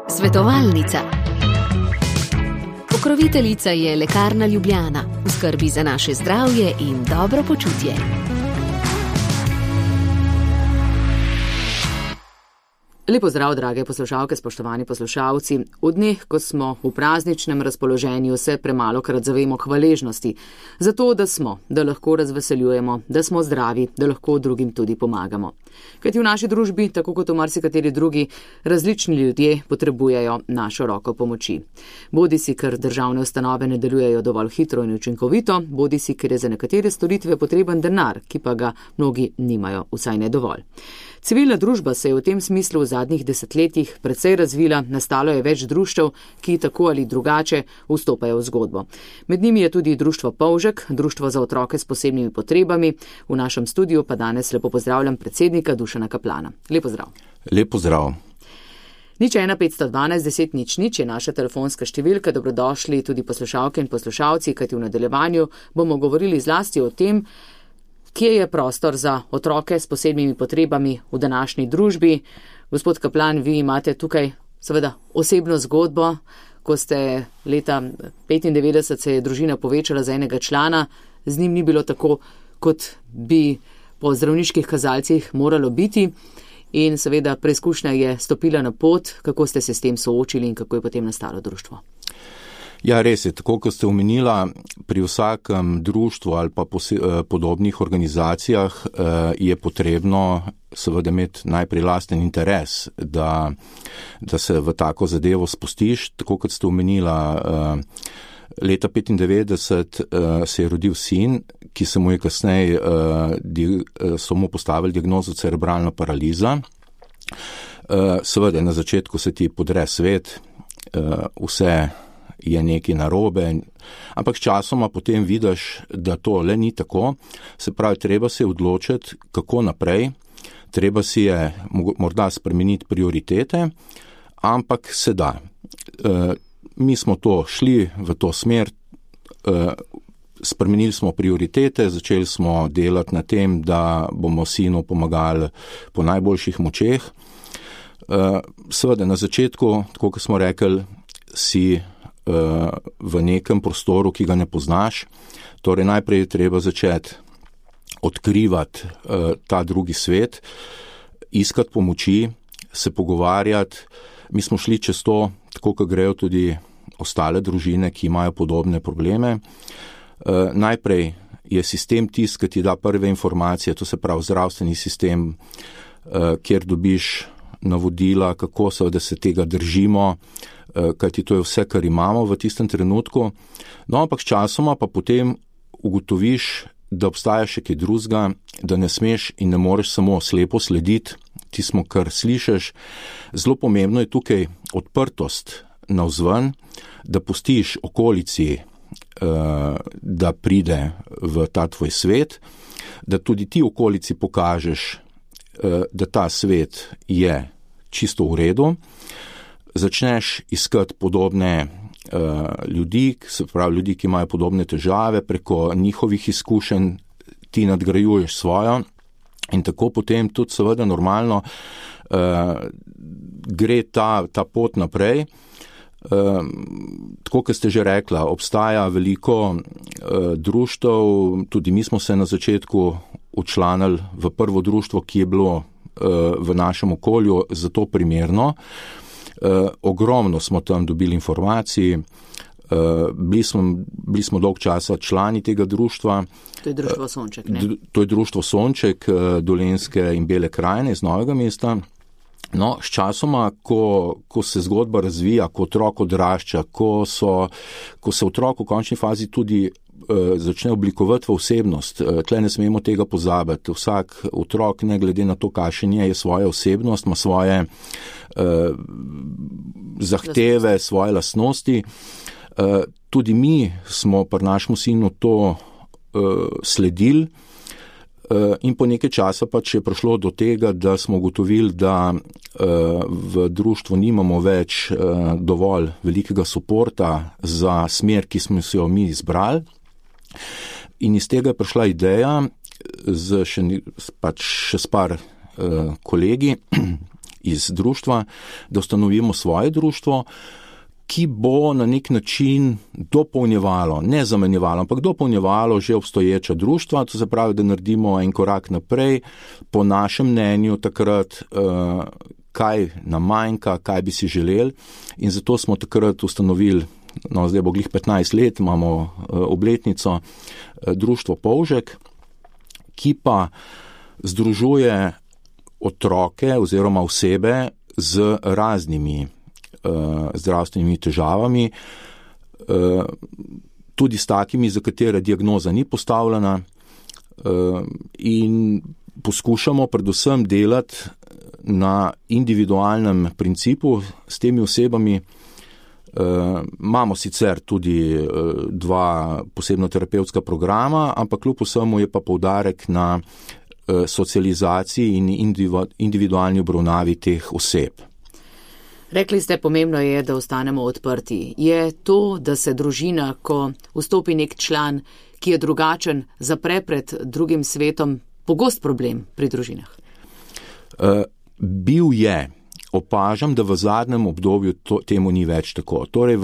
Svetovalnica. Pokroviteljica je Lekarna Ljubljana, v skrbi za naše zdravje in dobro počutje. Lepo zdrav, drage poslušalke, spoštovani poslušalci. V dneh, ko smo v prazničnem razpoloženju, se premalokrat zavemo hvaležnosti za to, da lahko razveseljujemo, da smo zdravi, da lahko drugim tudi pomagamo. Kajti v naši družbi, tako kot v marsikateri drugi, različni ljudje potrebujejo našo roko pomoči. Bodisi, ker državne ustanove ne delujejo dovolj hitro in učinkovito, bodisi, ker je za nekatere storitve potreben denar, ki pa ga mnogi nimajo, vsaj ne dovolj. Civilna družba se je v tem smislu v zadnjih desetletjih precej razvila, nastalo je več društev, ki tako ali drugače vstopajo v zgodbo. Med njimi je tudi društvo Polžek, društvo za otroke s posebnimi potrebami. V našem studiu pa danes lepo pozdravljam predsednika Dušana Kaplana. Lepo zdrav. Lepo zdrav. 01 512 10 00 je naša telefonska številka. Dobrodošli tudi poslušalke in poslušalci, kajti v nadaljevanju bomo govorili zlasti o tem, kje je prostor za otroke s posebnimi potrebami v današnji družbi. Gospod Kaplan, vi imate tukaj seveda osebno zgodbo. Ko ste leta 1995 se je družina povečala za enega člana, z njim ni bilo tako, kot bi po zdravniških kazalcih moralo biti. In seveda preizkušnja je stopila na pot, kako ste se s tem soočili in kako je potem nastalo društvo. Ja, res je, tako kot ste omenila, pri vsakem društvu ali pa podobnih organizacijah je potrebno seveda imeti najprej lasten interes, da se v tako zadevo spustiš. Tako kot ste omenila, leta 1995 se je rodil sin, ki se mu je kasneje so mu postavili diagnozo cerebralna paraliza. Seveda na začetku se ti podre svet, vse je nekaj narobe, ampak časoma potem vidiš, da to le ni tako. Se pravi, treba se odločiti, kako naprej, treba si je morda spremeniti prioritete, ampak se da. Mi smo to šli v to smer, spremenili smo prioritete, začeli smo delati na tem, da bomo sinu pomagali po najboljših močeh. Seveda na začetku, tako kot smo rekli, si v nekem prostoru, ki ga ne poznaš. Torej najprej je treba začeti odkrivati ta drugi svet, iskati pomoči, se pogovarjati. Mi smo šli čez to, tako kot grejo tudi ostale družine, ki imajo podobne probleme. Najprej je sistem tisti, ki ti da prve informacije, to se pravi zdravstveni sistem, kjer dobiš navodila, kako seveda se tega držimo, kajti to je vse, kar imamo v tistem trenutku. No, ampak časoma pa potem ugotoviš, da obstaja še kaj drugega, da ne smeš in ne moreš samo slepo slediti tismo, kar slišiš. Zelo pomembno je tukaj odprtost navzven, da pustiš okolici, da pride v ta tvoj svet, da tudi ti okolici pokažeš, da ta svet je čisto v redu. Začneš iskati podobne ljudi, se pravi ljudi, ki imajo podobne težave, preko njihovih izkušenj ti nadgrajuješ svojo in tako potem tudi seveda normalno gre ta pot naprej. Tako, kot ste že rekla, obstaja veliko društev, tudi mi smo se na začetku včlanili v prvo društvo, ki je bilo v našem okolju za to primerno. Ogromno smo tam dobili informacij, bili smo dolg časa člani tega društva. To je društvo Sonček, ne? To je društvo Sonček, Dolenjske in Bele krajine iz Novega mesta. No, s časoma, ko se zgodba razvija, ko otrok odrašča, ko se otrok v končni fazi tudi začne oblikovati v osebnost. Tle ne smemo tega pozabiti. Vsak otrok, ne glede na to, kakšen je svoja osebnost, ima svoje zahteve, svoje lastnosti. Tudi mi smo pri našemu sinu to sledili in po nekaj časa pač je prišlo do tega, da smo ugotovili, da v društvu nimamo več dovolj velikega suporta za smer, ki smo si jo mi izbrali. In iz tega je prišla ideja še s par kolegi iz društva, da ustanovimo svoje društvo, ki bo na nek način dopolnjevalo, ne zamenjevalo, ampak dopolnjevalo že obstoječa društva, to se pravi, da naredimo en korak naprej, po našem mnenju takrat, kaj nam manjka, kaj bi si želeli, in zato smo takrat ustanovili, zdaj bo glih 15 let, imamo obletnico, društvo Polžek, ki pa združuje otroke oziroma osebe z raznimi zdravstvenimi težavami, tudi s takimi, za katere diagnoza ni postavljena, in poskušamo predvsem delati na individualnem principu s temi osebami. Imamo sicer tudi 2 posebno terapevtska programa, ampak kljub vsemu je pa poudarek na socializaciji in individualni obravnavi teh oseb. Rekli ste, pomembno je, da ostanemo odprti. Je to, da se družina, ko vstopi nek član, ki je drugačen, zapre pred drugim svetom, pogost problem pri družinah? Bil je. Opažam, da v zadnjem obdobju temu ni več tako. Torej,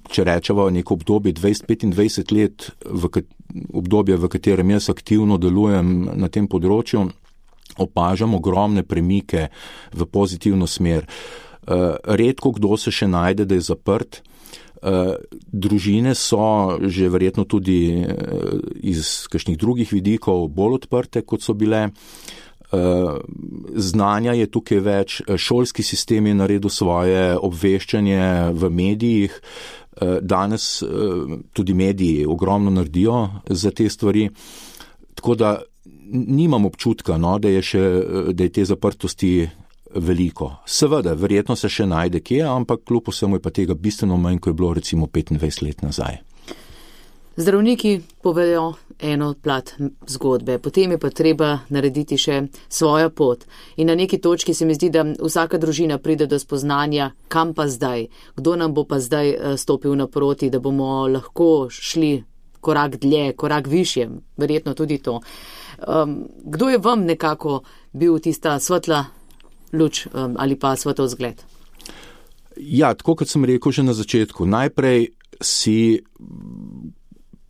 če rečemo neko obdobje 20-25 let, obdobje, v katerem jaz aktivno delujem na tem področju, opažam ogromne premike v pozitivno smer. Redko kdo se še najde, da je zaprt. Družine so že verjetno tudi iz kakšnih drugih vidikov bolj odprte, kot so bile. Znanja je tukaj več, šolski sistem je naredil svoje, obveščanje v medijih, danes tudi mediji ogromno naredijo za te stvari, tako da nimam občutka, da je te zaprtosti veliko. Seveda, verjetno se še najde kje, ampak kljub vsemu je pa tega bistveno manj, ko je bilo recimo 25 let nazaj. Zdravniki povejo eno plat zgodbe, potem je pa treba narediti še svojo pot. In na neki točki se mi zdi, da vsaka družina pride do spoznanja, kam pa zdaj, kdo nam bo pa zdaj stopil naproti, da bomo lahko šli korak dlje, korak višje, verjetno tudi to. Kdo je vam nekako bil tista svetla luč ali pa svetov zgled? Ja, tako kot sem rekel že na začetku, najprej si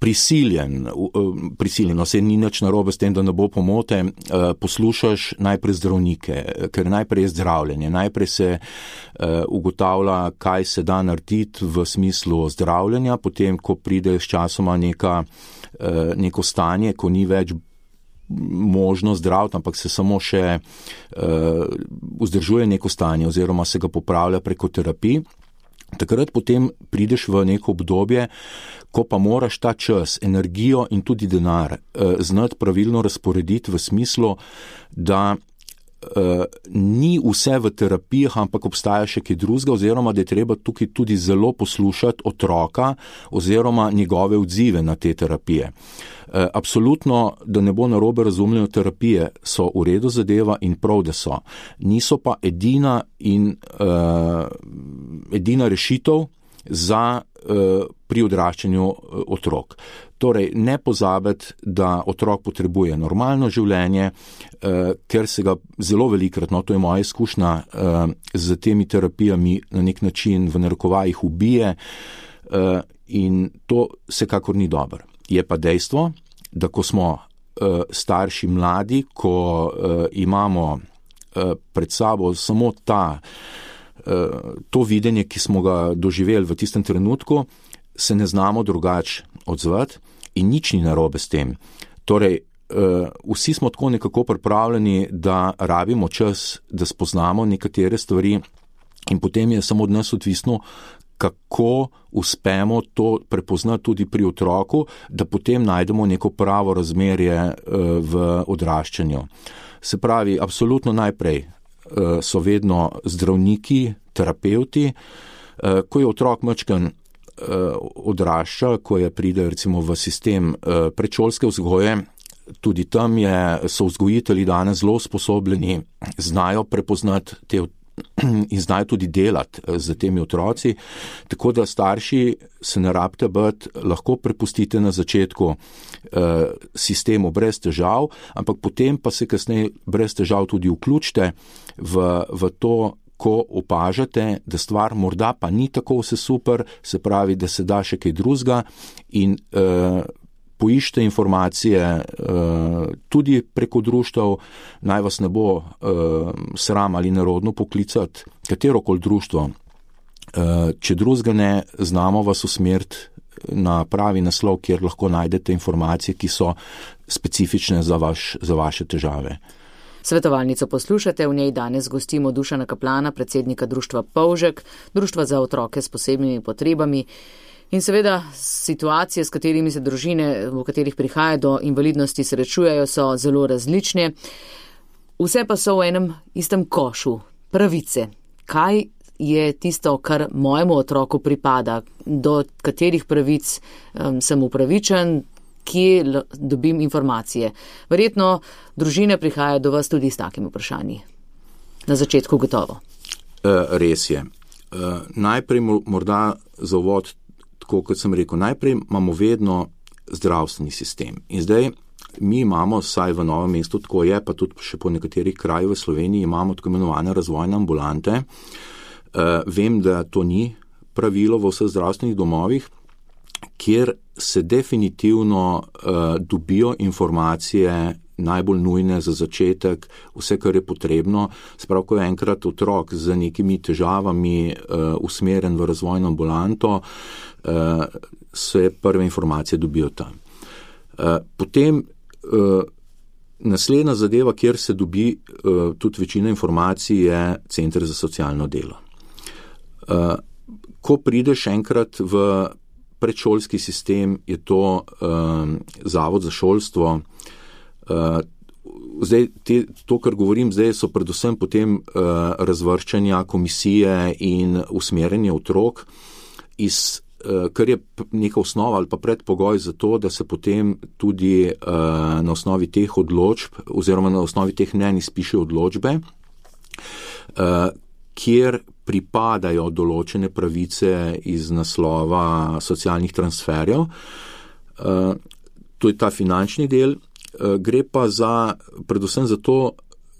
prisiljeno, se ni nič narobe s tem, da ne bo pomote, poslušaš najprej zdravnike, ker najprej je zdravljenje, najprej se ugotavlja, kaj se da narediti v smislu zdravljenja, potem, ko pride s časoma neko stanje, ko ni več možno zdraviti, ampak se samo še vzdržuje neko stanje oziroma se ga popravlja preko terapij. Takrat potem prideš v neko obdobje, ko pa moraš ta čas, energijo in tudi denar znati pravilno razporediti v smislu, da ni vse v terapijah, ampak obstaja še kaj drugega, oziroma da je treba tukaj tudi zelo poslušati otroka oziroma njegove odzive na te terapije. Absolutno, da ne bo narobe razumljeno, terapije so v redu zadeva in prav, da so. Niso pa edina rešitev pri odraščanju otrok. Torej, ne pozabiti, da otrok potrebuje normalno življenje, ker se ga zelo velikrat, to je moja izkušnja, z temi terapijami na nek način v narekovajih ubije, in to vsekakor ni dobro. Je pa dejstvo, da ko smo starši mladi, ko imamo pred sabo samo to videnje, ki smo ga doživeli v tistem trenutku, se ne znamo drugače odzvati in nič ni narobe s tem. Torej, vsi smo tako nekako pripravljeni, da rabimo čas, da spoznamo nekatere stvari in potem je samo od nas odvisno, kako uspemo to prepoznati tudi pri otroku, da potem najdemo neko pravo razmerje v odraščanju. Se pravi, absolutno najprej so vedno zdravniki, terapevti, ko je otrok majčken odrašča, ko pride recimo v sistem predšolske vzgoje, tudi tam so vzgojitelji danes zelo sposobljeni, znajo prepoznati te in znajo tudi delati z temi otroci, tako da starši se ne rabite biti, lahko prepustite na začetku sistemu brez težav, ampak potem pa se kasneje brez težav tudi vključite v to, ko opažate, da stvar morda pa ni tako vse super, se pravi, da se da še kaj drugega in poiščite informacije tudi preko društev, naj vas ne bo sram ali nerodno poklicati katerokoli društvo. Če drugega ne, znamo vas usmeriti na pravi naslov, kjer lahko najdete informacije, ki so specifične za vaše težave. Svetovalnico poslušate, v njej danes gostimo Dušana Kaplana, predsednika društva Polžek, društva za otroke s posebnimi potrebami. In seveda situacije, s katerimi se družine, v katerih prihaja do invalidnosti, srečujejo, so zelo različne. Vse pa so v enem istem košu, pravice. Kaj je tisto, kar mojemu otroku pripada, do katerih pravic sem upravičen, kje dobim informacije. Verjetno družine prihajajo do vas tudi s takimi vprašanji. Na začetku gotovo. Res je. Najprej morda za uvod, tako kot sem rekel, najprej imamo vedno zdravstveni sistem. In zdaj mi imamo, saj v Novem mestu tako je, pa tudi še po nekaterih krajih v Sloveniji imamo tako imenovane razvojne ambulante. Vem, da to ni pravilo v vseh zdravstvenih domovih, kjer se definitivno dobijo informacije najbolj nujne za začetek, vse, kar je potrebno. Sprav, ko je enkrat otrok z nekimi težavami usmeren v razvojno ambulanto, se prve informacije dobijo tam. Potem naslednja zadeva, kjer se dobi tudi večina informacij, je Center za socialno delo. Ko prideš enkrat v predšolski sistem, je to Zavod za šolstvo. Zdaj, to, kar govorim zdaj, so predvsem potem razvrščanja komisije in usmerjanje otrok, kar je neka osnova ali pa predpogoj za to, da se potem tudi na osnovi teh odločb oziroma na osnovi teh mnenj izpišejo odločbe, kjer pripadajo določene pravice iz naslova socialnih transferjev. To je ta finančni del. Gre pa predvsem za to,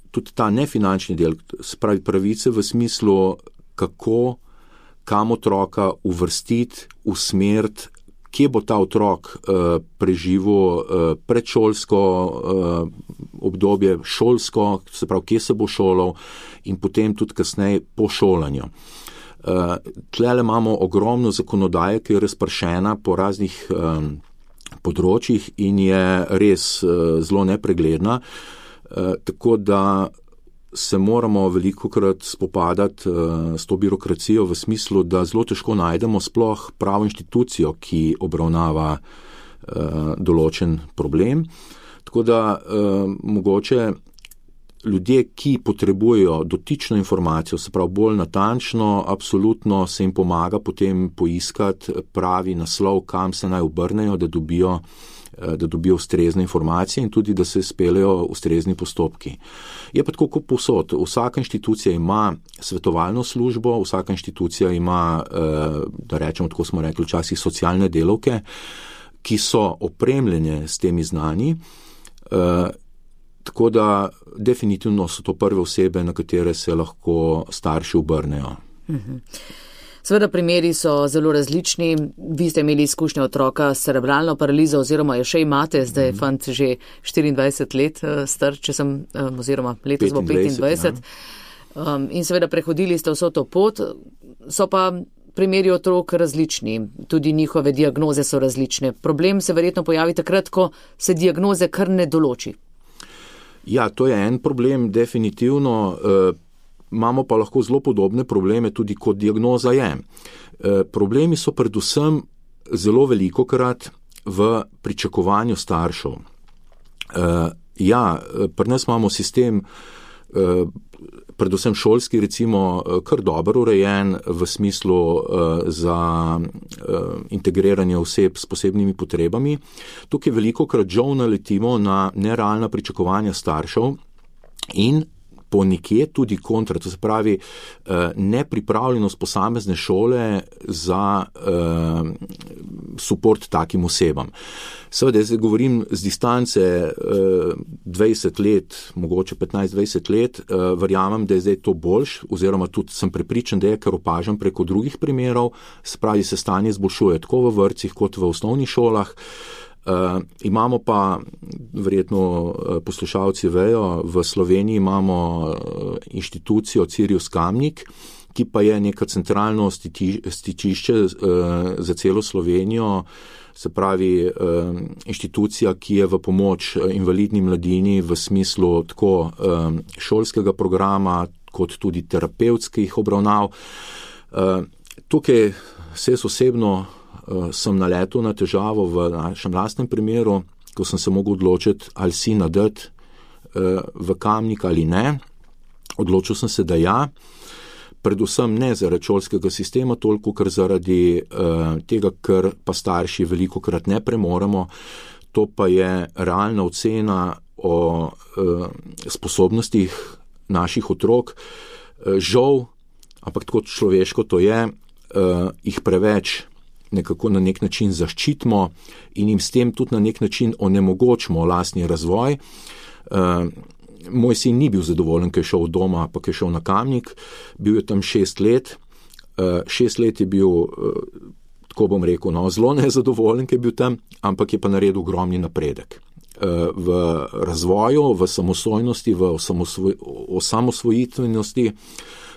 tudi ta nefinančni del, spravi pravice v smislu, kam otroka uvrstiti, usmeriti, kje bo ta otrok preživel predšolsko obdobje, šolsko, se pravi, kje se bo šolal in potem tudi kasneje po šolanju. Tlele imamo ogromno zakonodaje, ki je razpršena po raznih področjih in je res zelo nepregledna, tako da se moramo velikokrat spopadati s to birokracijo v smislu, da zelo težko najdemo sploh pravo inštitucijo, ki obravnava določen problem. Tako da mogoče ljudje, ki potrebujejo dotično informacijo, se pravi bolj natančno, absolutno se jim pomaga potem poiskati pravi naslov, kam se naj obrnejo, da dobijo ustrezne informacije in tudi, da se speljejo ustrezni postopki. Je pa tako kot povsod. Vsaka inštitucija ima svetovalno službo, vsaka inštitucija ima, da rečemo, tako smo rekli včasih, socialne delavke, ki so opremljene s temi znanji, tako da definitivno so to prve osebe, na katere se lahko starši obrnejo. Seveda primeri so zelo različni. Vi ste imeli izkušnje otroka s cerebralno paralizo oziroma jo še imate, zdaj je fant že 24 let star, oziroma letos bo 25. Ja. In seveda prehodili ste vso to pot, so pa primeri otrok različni, tudi njihove diagnoze so različne. Problem se verjetno pojavi takrat, ko se diagnoze kar ne določi. Ja, to je en problem, definitivno. Imamo pa lahko zelo podobne probleme tudi kot diagnoza je. Problemi so predvsem zelo velikokrat v pričakovanju staršev. Pri nas imamo sistem, predvsem šolski, recimo, kar dobro urejen v smislu za integriranje oseb s posebnimi potrebami. Tukaj velikokrat žal naletimo na nerealna pričakovanja staršev in ponekje tudi kontra, to se pravi nepripravljenost posamezne šole za suport takim osebam. Seveda, zdaj govorim z distance 20 let, mogoče 15-20 let, verjamem, da je zdaj to boljš, oziroma tudi sem prepričan, da je, ker opažam preko drugih primerov, se pravi, se stanje izboljšuje tako v vrtcih kot v osnovnih šolah. Imamo pa, verjetno poslušalci vejo, v Sloveniji imamo inštitucijo Cirius Kamnik, ki pa je neka centralno stičišče za celo Slovenijo, se pravi inštitucija, ki je v pomoč invalidni mladini v smislu tako šolskega programa, kot tudi terapevtskih obravnav. Tukaj se osebno sem naletel na težavo v našem lastnem primeru, ko sem se mogel odločiti, ali si nadati v Kamnik ali ne. Odločil sem se, da ja. Predvsem ne zaradi šolskega sistema, toliko kar zaradi tega, ker pa starši velikokrat ne premoremo. To pa je realna ocena o sposobnostih naših otrok. Žal, ampak tako človeško to je, jih preveč nekako na nek način zaščitimo in jim s tem tudi na nek način onemogočimo lastni razvoj. Moj sin ni bil zadovoljen, ker je šel od doma, pa je šel na Kamnik. Bil je tam 6 let. 6 let je bil, tako bom rekel, zelo nezadovoljen, ker je bil tam, ampak je pa naredil ogromni napredek. V razvoju, v samostojnosti, v osamosvojitvenosti.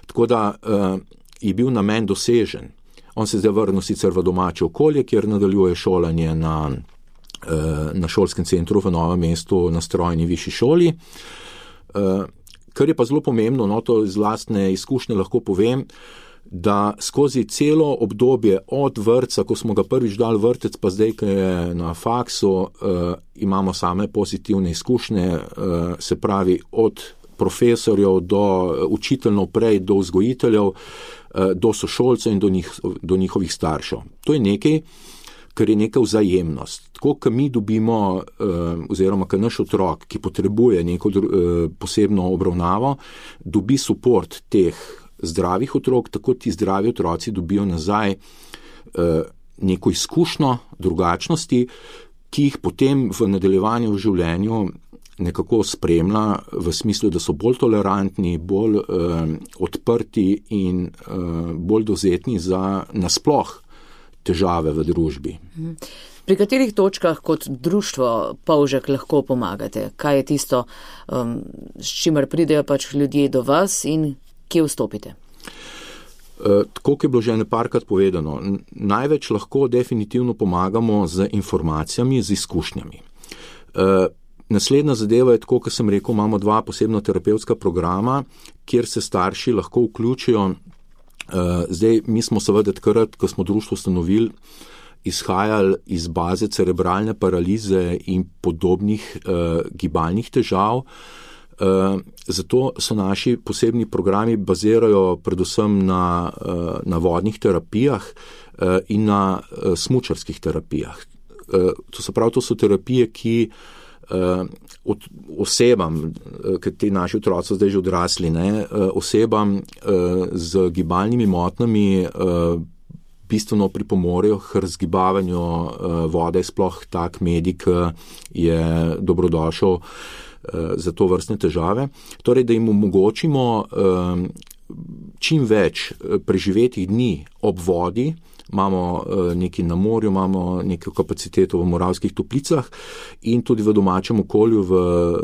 Tako da je bil namen dosežen. On se zdaj vrnil sicer v domače okolje, kjer nadaljuje šolanje na šolskem centru v Novem mestu na strojni višji šoli. Kar je pa zelo pomembno, to iz lastne izkušnje lahko povem, da skozi celo obdobje od vrtca, ko smo ga prvič dali vrtec, pa zdaj, ko je na faksu, imamo same pozitivne izkušnje, se pravi od profesorjev do učiteljev prej, do vzgojiteljev, do sošolcev in do njihovih staršev. To je nekaj, kar je neka vzajemnost. Tako, ko mi dobimo, oziroma ko naš otrok, ki potrebuje neko posebno obravnavo, dobi suport teh zdravih otrok, tako ti zdravi otroci dobijo nazaj neko izkušnjo drugačnosti, ki jih potem v nadaljevanju v življenju nekako spremlja v smislu, da so bolj tolerantni, bolj odprti in bolj dovzetni za nasploh težave v družbi. Pri katerih točkah kot društvo Polžek lahko pomagate? Kaj je tisto, s čimer pridejo pač ljudje do vas in kje vstopite? Tako, kot je bilo že neparkrat povedano, največ lahko definitivno pomagamo z informacijami, z izkušnjami. Naslednja zadeva je tako, kot sem rekel, imamo 2 posebna terapevtska programa, kjer se starši lahko vključijo. Zdaj, mi smo seveda takrat, ko smo društvo ustanovili, izhajali iz baze cerebralne paralize in podobnih gibalnih težav. Zato so naši posebni programi bazirajo predvsem na vodnih terapijah in na smučarskih terapijah. To se pravi, to so terapije, ki osebam, ker ti naši otroci so zdaj že odrasli, osebam z gibalnimi motnjami bistveno pripomorejo k razgibavanju vode, sploh tak medij, ki je dobrodošel za to vrstne težave. Torej, da jim omogočimo čim več preživetih dni ob vodi. Imamo nekaj na morju, imamo nekaj kapaciteto v Moravskih Toplicah in tudi v domačem okolju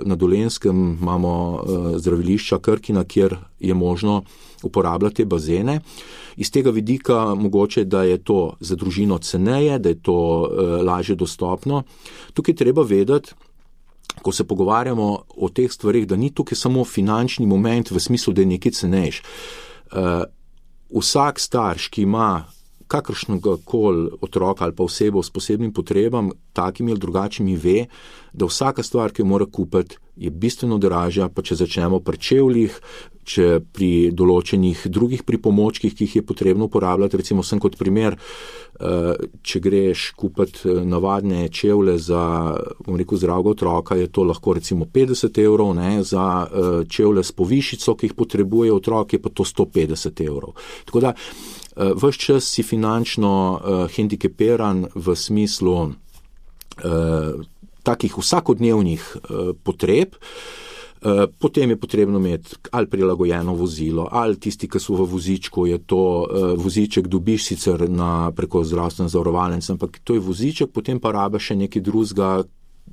na Dolenjskem imamo zdravilišča Krkina, kjer je možno uporabljati bazene. Iz tega vidika mogoče, da je to za družino ceneje, da je to lažje dostopno. Tukaj treba vedeti, ko se pogovarjamo o teh stvarih, da ni tukaj samo finančni moment v smislu, da je nekaj cenejš. Vsak starš, ki ima kakršnega koli otroka ali pa osebo s posebnim potrebam, takimi ali drugačnimi, ve, da vsaka stvar, ki jo mora kupiti, je bistveno dražja, pa če začnemo pri čevljih, če pri določenih drugih pripomočkih, ki jih je potrebno uporabljati, recimo sem kot primer, če greš kupiti navadne čevlje za, zdravega otroka, je to lahko recimo 50 €, ne, za čevlje s povišico, ki jih potrebuje otrok, je pa to 150 €. Tako da, ves čas si finančno hendikepiran v smislu takih vsakodnevnih potreb. Potem je potrebno imeti ali prilagojeno vozilo, ali tisti, ki so v vozičku, je to voziček dobiš sicer preko zdravstvene zavarovalnice, ampak to je voziček, potem pa rabiš še nekaj drugega,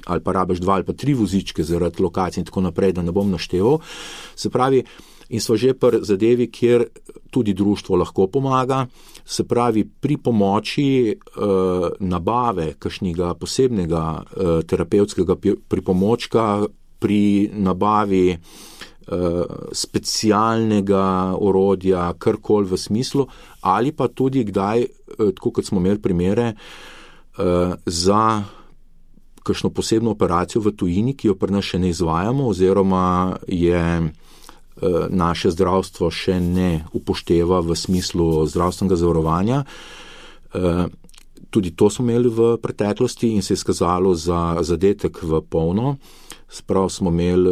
ali pa rabiš 2 ali pa 3 vozičke zaradi lokacije in tako naprej, da ne bom našteval. Se pravi, in smo že pri zadevi, kjer tudi društvo lahko pomaga, se pravi pri pomoči nabave kakšnega posebnega terapevtskega pripomočka, pri nabavi specialnega orodja, karkoli v smislu, ali pa tudi kdaj, tako kot smo imeli primere, za kakšno posebno operacijo v tujini, ki jo pri nas še ne izvajamo, oziroma je naše zdravstvo še ne upošteva v smislu zdravstvenega zavarovanja. Tudi to smo imeli v preteklosti in se je izkazalo za zadetek v polno. Sprav smo imeli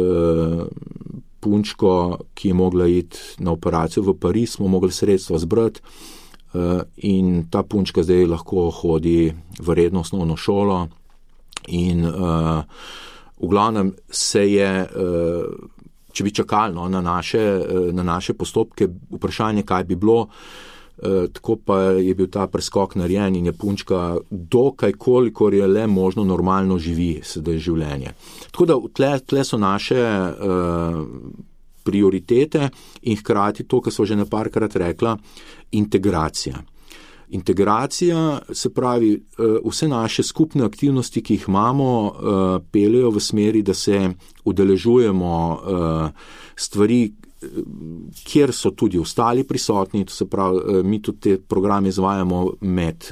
punčko, ki je mogla iti na operacijo v Pariz, smo mogli sredstva zbrati in ta punčka zdaj lahko hodi v redno osnovno šolo in v glavnem se je, če bi čakali na naše postopke, vprašanje, kaj bi bilo, tako pa je bil ta preskok narejen in je punčka dokaj, kolikor je le možno, normalno živi sedaj življenje. Tako da tle so naše prioritete in hkrati to, kar so že neparkrat rekla, integracija. Integracija, se pravi, vse naše skupne aktivnosti, ki jih imamo, peljejo v smeri, da se udeležujemo stvari, kjer so tudi ostali prisotni, to se pravi, mi tudi te programe izvajamo med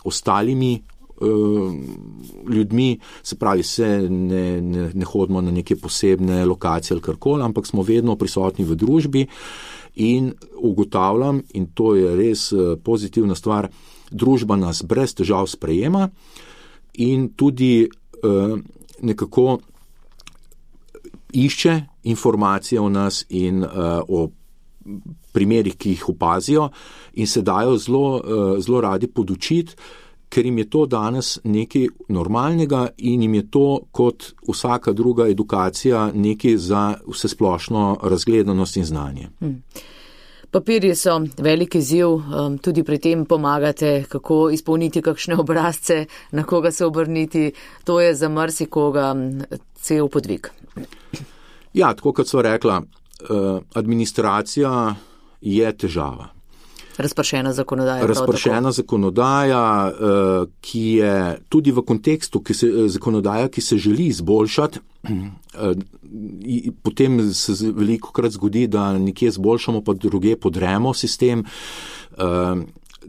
ostalimi ljudmi, se pravi, ne hodimo na neke posebne lokacije ali karkoli, ampak smo vedno prisotni v družbi in ugotavljam, in to je res pozitivna stvar, družba nas brez težav sprejema in tudi nekako išče informacije o nas in o primerih, ki jih opazijo in se dajo zelo radi podučiti, ker jim je to danes nekaj normalnega in jim je to kot vsaka druga edukacija nekaj za vsesplošno razgledanost in znanje. Papirji so veliki izziv, tudi pri tem pomagate, kako izpolniti kakšne obrazce, na koga se obrniti, to je za marsikoga cel podvig. Ja, tako kot sva rekla, administracija je težava. Razpršena zakonodaja. Razpršena zakonodaja, ki je tudi v kontekstu zakonodaja, ki se želi izboljšati, potem se veliko krat zgodi, da nekje izboljšamo, pa druge podremo sistem.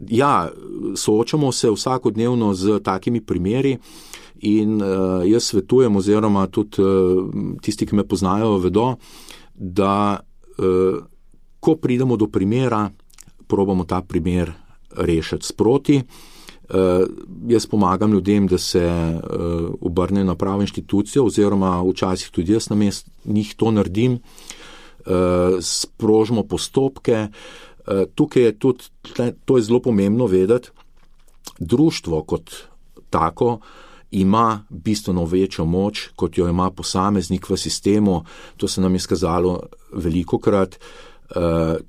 Ja, soočamo se vsakodnevno z takimi primeri in jaz svetujem, oziroma tudi tisti, ki me poznajo, vedo, da ko pridemo do primera, probamo ta primer rešiti sproti. Jaz pomagam ljudem, da se obrne na pravo inštitucijo, oziroma včasih tudi jaz namesto njih to naredim, sprožimo postopke. Tukaj je tudi, to je zelo pomembno vedeti, društvo kot tako ima bistveno večjo moč, kot jo ima posameznik v sistemu. To se nam je skazalo velikokrat.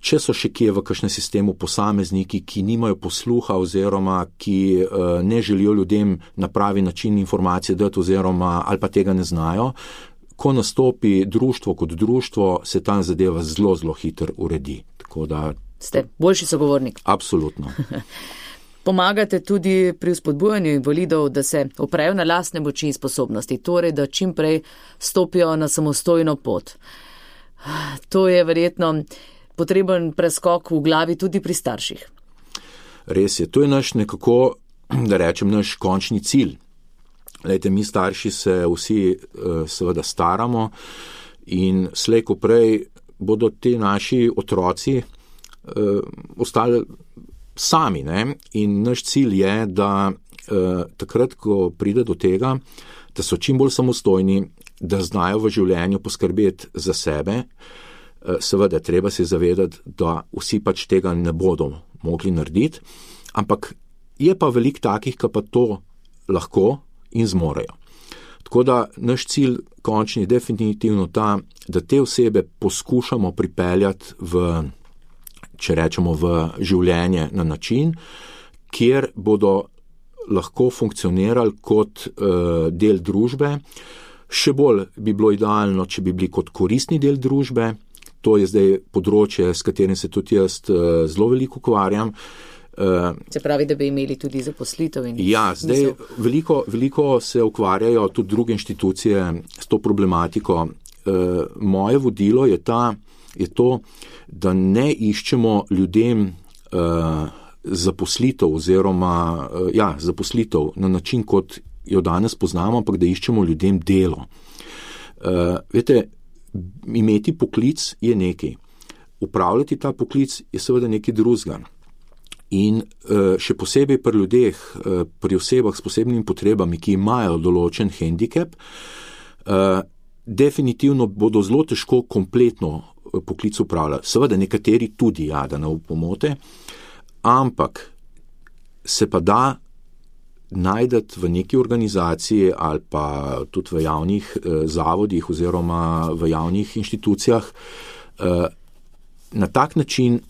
Če so še kje v kakšnem sistemu posamezniki, ki nimajo posluha oziroma ki ne želijo ljudem na pravi način informacije dati oziroma ali pa tega ne znajo, ko nastopi društvo kot društvo, se ta zadeva zelo, zelo hitro uredi. Tako da ste boljši sogovornik. Absolutno. Pomagate tudi pri vzpodbujanju invalidov, da se oprejo na lastne moči in sposobnosti, torej da čim prej stopijo na samostojno pot. To je verjetno potreben preskok v glavi tudi pri starših. Res je, to je naš nekako, da rečem, naš končni cilj. Lejte, mi starši se vsi seveda staramo in slej ko prej bodo ti naši otroci ostali sami, ne? In naš cilj je, da takrat, ko pride do tega, da so čim bolj samostojni, da znajo v življenju poskrbeti za sebe. Seveda, treba se zavedati, da vsi pač tega ne bodo mogli narediti, ampak je pa veliko takih, ki pa to lahko in zmorejo. Tako da naš cilj končni je definitivno ta, da te osebe poskušamo pripeljati če rečemo, v življenje na način, kjer bodo lahko funkcionirali kot del družbe. Še bolj bi bilo idealno, če bi bili kot koristni del družbe. To je zdaj področje, s katerim se tudi jaz zelo veliko ukvarjam. Se pravi, da bi imeli tudi zaposlitev? Ja, zdaj veliko se ukvarjajo tudi druge inštitucije s to problematiko. Moje vodilo je to, da ne iščemo ljudem zaposlitev oziroma zaposlitev na način, kot jo danes poznamo, ampak da iščemo ljudem delo. Veste, imeti poklic je nekaj. Upravljati ta poklic je seveda nekaj drugega. In še posebej pri ljudeh, pri osebah s posebnimi potrebami, ki imajo določen hendikep, definitivno bodo zelo težko kompletno poklic upravljati. Seveda nekateri tudi, da ne pomote, ampak se pa da najdete v neki organizaciji ali pa tudi v javnih zavodih oziroma v javnih inštitucijah na tak način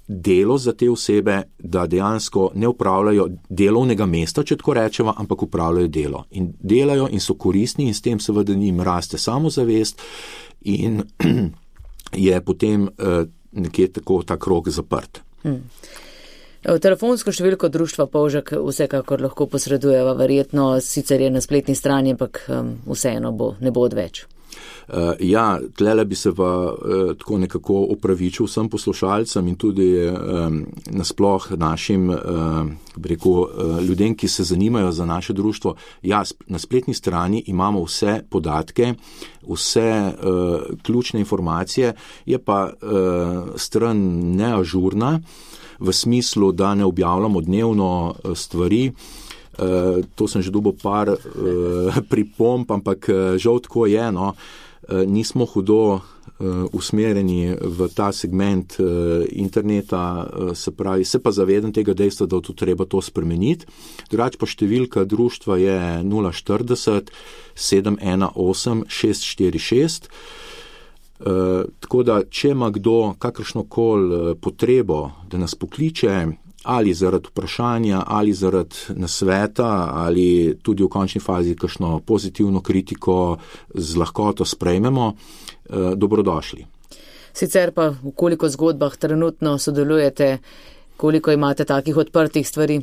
delo za te osebe, da dejansko ne upravljajo delovnega mesta, če tako rečemo, ampak upravljajo delo. In delajo in so koristni in s tem seveda njim raste samozavest in je potem nekje tako ta krog zaprt. Telefonsko številko društva Polžek vsekakor lahko posredujeva, verjetno sicer je na spletni strani, ampak vseeno ne bo odveč. Tlele bi se pa tako nekako opravičil vsem poslušalcem in tudi nasploh našim ljudem, ki se zanimajo za naše društvo. Na spletni strani imamo vse podatke, vse ključne informacije, je pa stran neažurna, v smislu, da ne objavljamo dnevno stvari. To sem že dobil par pripomb, ampak žal tako je, nismo hudo usmerjeni v ta segment interneta, se pravi, se pa zavedam tega dejstva, da to treba to spremeniti. Drugače pa številka društva je 040 718 646. Tako da, če ima kdo kakršnokoli potrebo, da nas pokliče, ali zaradi vprašanja, ali zaradi nasveta, ali tudi v končni fazi kakšno pozitivno kritiko z lahkoto sprejmemo, dobrodošli. Sicer pa v koliko zgodbah trenutno sodelujete, koliko imate takih odprtih stvari?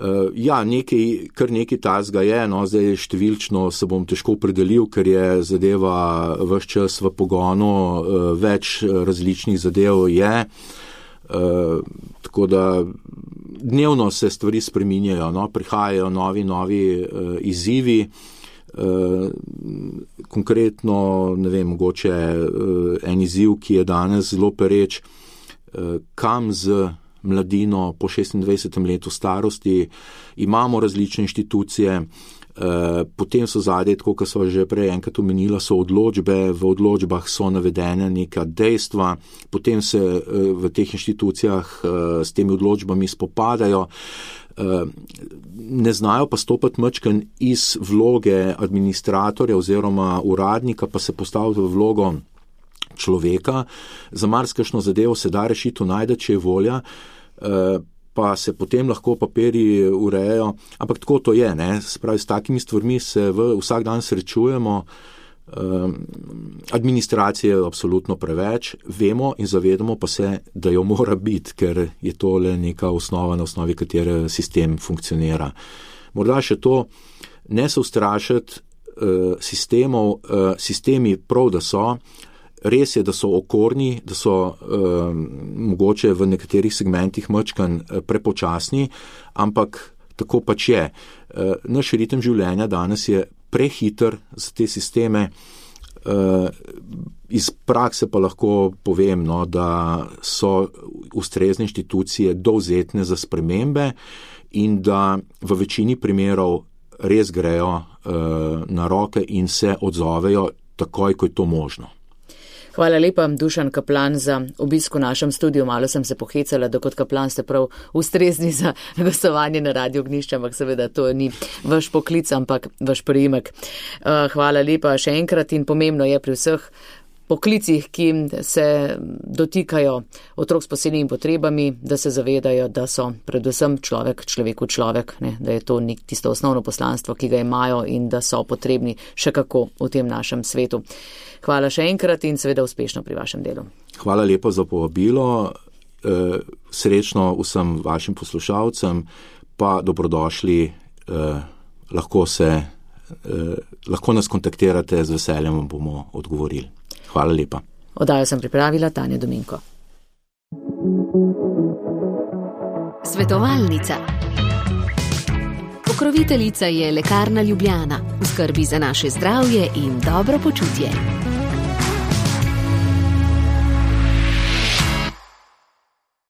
Kar nekaj tazga je, zdaj številčno se bom težko opredelil, ker je zadeva ves čas v pogonu, več različnih zadev je, tako da dnevno se stvari spreminjajo, prihajajo novi izzivi, konkretno, mogoče en izziv, ki je danes zelo pereč, kam z mladino po 26. letu starosti, imamo različne inštitucije, potem so zadnje, tako kot so že prej enkrat omenila, so odločbe, v odločbah so navedene neka dejstva, potem se v teh inštitucijah s temi odločbami spopadajo, ne znajo pa stopati mačken iz vloge administratorja oziroma uradnika, pa se postaviti v vlogo človeka. Za marsikšno zadevo se da rešitev najde, če je volja, pa se potem lahko papirji urejajo, ampak tako to je, Spravi, s takimi stvarmi se vsak dan srečujemo, administracije je absolutno preveč, vemo in zavedamo pa se, da jo mora biti, ker je to le neka osnova, na osnovi katere sistem funkcionira. Morda še to, ne se ustrašiti sistemov, sistemi prav, da so, res je, da so okorni, da so mogoče v nekaterih segmentih mačkan prepočasni, ampak tako pač je. Naš ritem življenja danes je prehiter za te sisteme. Iz prakse pa lahko povem, da so ustrezne inštitucije dovzetne za spremembe in da v večini primerov res grejo na roke in se odzovejo takoj, ko je to možno. Hvala lepa, Dušan Kaplan, za obisk v našem studiu. Malo sem se pohecala, da kot kaplan ste prav ustrezni za gostovanje na Radio Ognjišče, ampak seveda to ni vaš poklic, ampak vaš priimek. Hvala lepa še enkrat in pomembno je pri vseh poklicih, ki se dotikajo otrok s posebnimi potrebami, da se zavedajo, da so predvsem človeku človek, ne, da je to tisto osnovno poslanstvo, ki ga imajo in da so potrebni še kako v tem našem svetu. Hvala še enkrat in seveda uspešno pri vašem delu. Hvala lepa za povabilo, srečno vsem vašim poslušalcem, pa dobrodošli, lahko nas kontaktirate, z veseljem vam bomo odgovorili. Hvala lepa. Oddajo sem pripravila Tanja Dominko. Svetovalnica. Pokroviteljica je Lekarna Ljubljana. V skrbi za naše zdravje in dobro počutje.